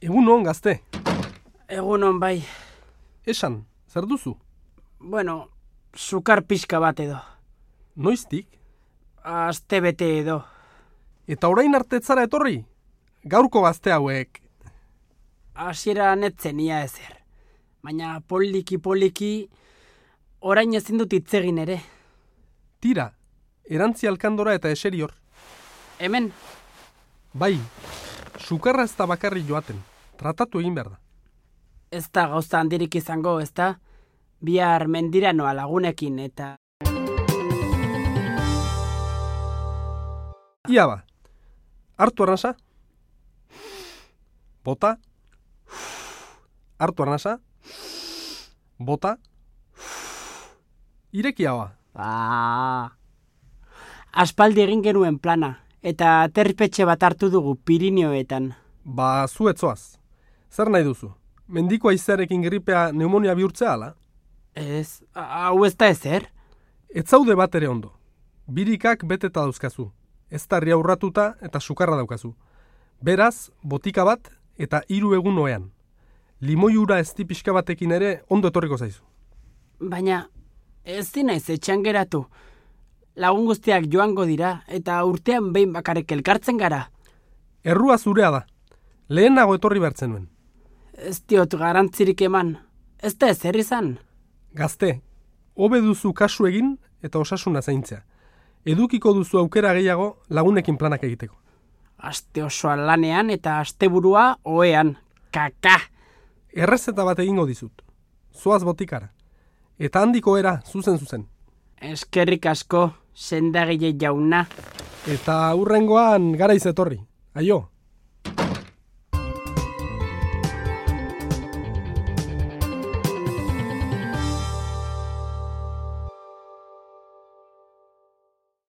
Egun on, gazte. Egunon bai. Esan, zer duzu? Bueno, sukar pixka bat edo. Noiztik? Aste bete edo. Eta orain arte ez zara etorri? Gaurko gazte hauek. Hasiera netzen ia ezer. Baina poliki orain ezin dut hitz egin ere. Tira, erantzi alkandora eta eseri hor. Hemen, Bai, sukarra ez da bakarri joaten. Tratatu egin behar da. ez da gauza handirik izango, ez da? Bihar mendira noa lagunekin eta... Ia ba, hartu arnasa? Bota? Hartu arnasa? Bota? Ireki haua. Aspaldi egin genuen plana, eta aterpetxe bat hartu dugu Pirineoetan. Ba, zu etzoaz. Zer nahi duzu? Mendiko aizearekin gripea pneumonia bihurtzea ala? Ez, hau ez da ezer? Ez zaude bat ere ondo. Birikak beteta dauzkazu. Ez tarria urratuta eta sukarra daukazu. Beraz, botika bat eta 3 egun oean. Limoi ura ezti pixka batekin ere ondo etorriko zaizu. Baina, ez dinaiz etxean geratu. Lagun guztiak joango dira, eta urtean behin bakarrik elkartzen gara. Errua zurea da. Lehenago etorri behartzen nuen. Ez diot garantzirik eman. Ez da ezer izan. Gazte, hobe duzu kasu egin eta osasuna zaintzea. Edukiko duzu aukera gehiago lagunekin planak egiteko. Aste osoa lanean eta asteburua ohean. Kaka! Errezeta bat egingo dizut. Zoaz botikara. Eta handiko era zuzen. Eskerrik asko, sendagile jauna. Eta hurrengoan garaiz etorri. Aio!